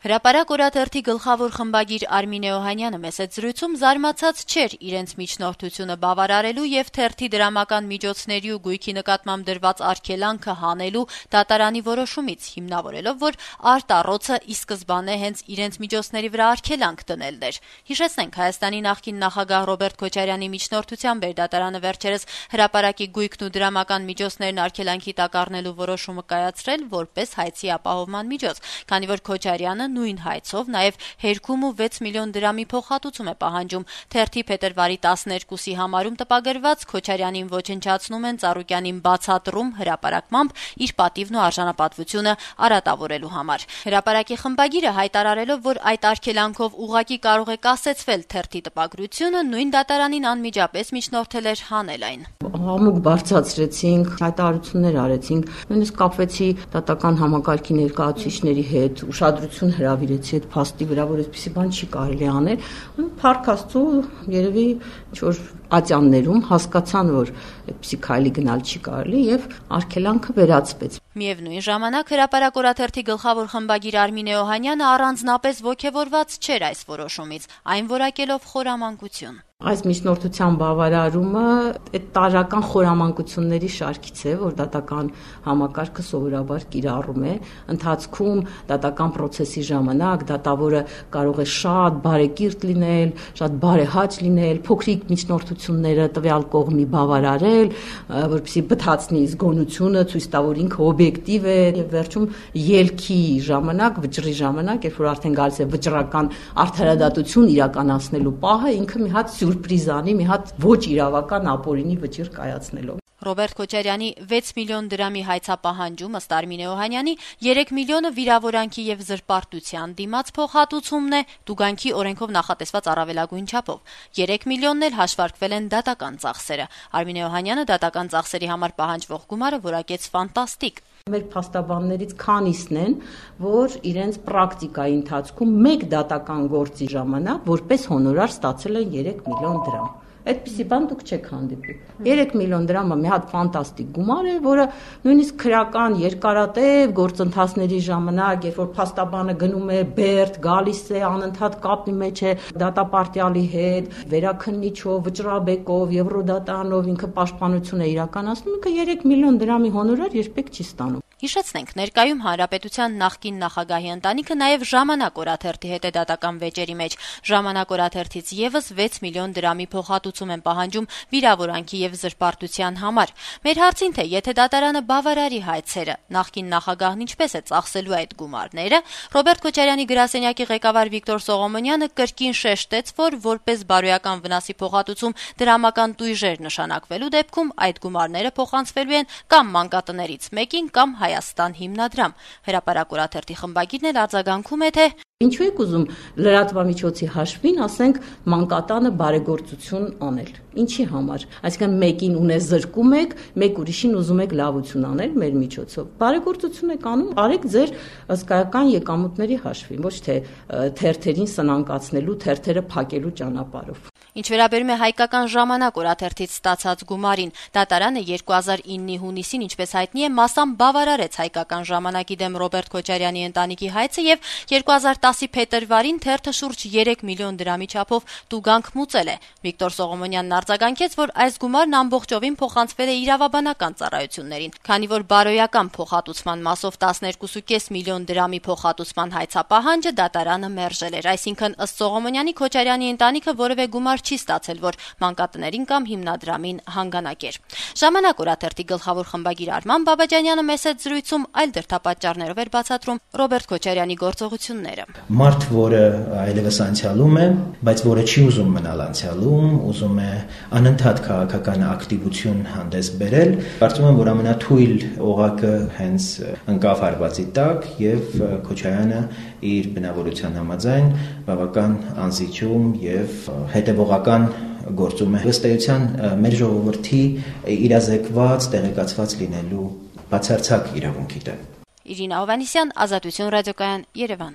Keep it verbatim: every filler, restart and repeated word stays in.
Հրապարակ օրաթերթի գլխավոր խմբագիր Արմինե Օհանյանը մեծ զրույցում զարմացած չէր իրենց միջնորդությունը բավարարելու եւ թերթի դրամական միջոցների ու գույքի նկատմամբ դրված արգելանքը հանելու դատարանի որոշումից, հիմնավորելով, որ արտառոցը ի սկզբանե հենց իրենց միջոցների վրա արգելանք դնելն էր։ Հիշեցնենք, Հայաստանի նախկին նախագահ Ռոբերտ Քոչարյանի միջնորդությամբ էր դատարանը վերջերս հրապարակի գույքն ու դրամական միջոցներն արգելանքի տակ առնելու որոշումը կայացրել որպես հայցի ապահովման միջոց, քանի որ Քոչարյանը նույն հայցով նաև հերքում ու վեց միլիոն դրամի փոխհատուցում է պահանջում։ Թերթի փետրվարի տասներկուսի համարում տպագրված Քոչարյանին ոչնչացնում են Ծառուկյանին բացատրում հրապարակմամբ իր պատիվն ու արժանապատվությունը արատավորելու համար։ Հրապարակի խմբագիրը հայտարարելով, որ այդ արգելանքով ուղղակի կարող է կասեցվել թերթի տպագրությունը, նույն դատարանին անմիջապես միջնորդել էր հանել այն։ Համուկ բարձրացրեցինք, հայտարարություններ արեցինք, նույնիսկ կապվեցի դատական համակարգի ներկայացուցիչների հետ, ուշադրություն հրավիրեցի այդ փաստի վրա, որ այսպիսի բան չի կարելի անել։ Փառք Աստծո, երևի ինչ-որ ատյաններում հասկացան, որ այդպիսի քայլի գնալ չի կարելի եւ արգելանքը վերացվեց։ Միևնույն ժամանակ հրապարակ օրաթերթի գլխավոր խմբագիր Արմինե Օհանյանը առանձնապես ոգևորված չէր այս որոշումից, այն որակելով խորամանկություն։ Այս միջնորդության բավարարումը այդ տարրական խորամանկությունների շարքից է, որ դատական համակարգը սովորաբար կիրառում է։ Ընթացքում դատական process-ի ժամանակ դատավորը կարող է շատ բարեկիրթ լինել, շատ բարեհաճ լինել, փոքրիկ միջնորդությունները տվյալ կողմի բավարարել, որպեսզի բթացնի զգոնությունը, ցույց տա, որ ինքը օբյեկտիվ է, եւ վերջում ելքի ժամանակ, վճռի ժամանակ, երբ որ արդեն գալիս է վճռական արդարադատություն իրականացնելու պահը, ինքը մի հատ սյուրպրիզանի, մի հատ ոչ իրավական ապօրինի վճիռ կայացնելով։ Ռոբերտ Քոչարյանի վեց միլիոն դրամի հայցապահանջում ըստ Արմինե Օհանյանի երեք միլիոնը վիրավորանքի եւ զրպարտության դիմաց փոխհատուցումն է տուգանքի օրենքով նախատեսված առավելագույն չափով։ երեք միլիոնն էլ հաշվարկվել են դատական ծախսերը։ Արմինե Օհանյանը դատական ծախսերի համար պահանջվող գումարը որակեց ֆանտաստիկ։ Մեր փաստաբաններից քանիսն են, որ իրենց պրակտիկայի ընթացքում մեկ դատական գործի ժամանակ որպես հոնորար ստացել են երեք միլիոն դրամ։ Այդպիսի բան դուք չեք հանդիպի։ երեք միլիոն դրամը մի հատ ֆանտաստիկ գումար է, որը նույնիսկ քրական երկարատև գործընթացների ժամանակ, երբ որ փաստաբանը գնում է Բերդ, գալիս է անընդհատ կապի մեջ է դատապարտյալի հետ, վերաքննիչով, վճռաբեկով, Եվրոդատանով ինքը պաշտպանություն է իրականացնում, ինքը երեք միլիոն դրամի հոնորար երբեք չի ստանում։ Հիշեցնենք, ներկայում Հանրապետության նախկին նախագահի ընտանիքը նաև Ժամանակ օրաթերթի հետ է դատական վեճերի մեջ։ Ժամանակ օրաթերթից եւս վեց միլիոն դրամի փոխհատուցում են պահանջում վիրավորանքի եւ զրպարտության համար։ Մեր հարցին, թե եթե դատարանը բավարարի հայցերը, նախկին նախագահն ինչպես է ծախսելու այդ գումարները, Ռոբերտ Քոչարյանի գրասենյակի ղեկավար Վիկտոր Սողոմոնյանը կրկին շեշտեց, որ որպես բարոյական վնասի փոխհատուցում դրամական տույժեր նշանակվելու դեպքում այդ գումարները փոխանցվելու են կամ մանկատներից մեկին կամ Հայաստան հիմնադրամ։ Հրապարակ օրաթերթի խմբագիրն էլ արձագանքում է, թե ինչու եք ուզում լրատվամիջոցի հաշվին, ասենք, մանկատանը բարեգործություն անել։ Ինչի համար։ Այսինքն մեկին ունես զրկում եք, մեկ ուրիշին ուզում եք լավություն անել մեր միջոցով։ Բարեգործություն եք անում, արեք ձեր հսկայական եկամուտների հաշվին, ոչ թե թերթերին սնանկացնելու, թերթերը փակելու ճանապարհով։ Ինչ վերաբերում է հայկական ժամանակ օրաթերթից ստացած գումարին, դատարանը երկու հազար իննի հունիսին, ինչպես հայտնի է, մասամբ բավարարեց հայկական ժամանակի դեմ Ռոբերտ Քոչարյանի ընտանիքի հայցը եւ երկու հազար տասի փետրվարին թերթը շուրջ երեք միլիոն դրամի չափով տուգանք մուծել է։ Վիկտոր Սողոմոնյանն արձագանքեց, որ այս գումարն ամբողջովին փոխանցվել է իրավաբանական ծառայություններին, քանի որ բարոյական փոխհատուցման մասով տասներկու կόμμα պենս միլիոն դրամի փոխհատուցման հայցապահանջը դատարանը մերժել էր։ Այսինքն, ըստ Սողոմոնյանի, Քոչարյանի ընտանիքը որևէ գումար չի ստացել, որ մանկատներին կամ հիմնադրամին հանգանակեր։ Ժամանակ օրաթերթի գլխավոր խմբագիր Արման Բաբաջանյանը մեծ զրույցում այլ դրդապատճառներով էր բացատրում Ռոբերտ Քոչարյանի գործողությունները։ Մարդ, որը այլևս անցյալում է, բայց որը չի ուզում մնալ անցյալում, ուզում է անընդհատ քաղաքական ակտիվություն հանդես բերել, կարծում եմ, որ ամենաթույլ օղակը հենց ընկավ հարվածի տակ եւ Քոչարյանը իր բնավորության համաձայն բավական անզիջում եւ հետեւողական գործում է։ Ըստ էության մեր ժողովրդի իրազեկված, տեղեկացված լինելու բացարձակ իրավունքի դեմ։ Իրինա Հովհաննիսյան, Ազատություն ռադիոկայան, Երևան։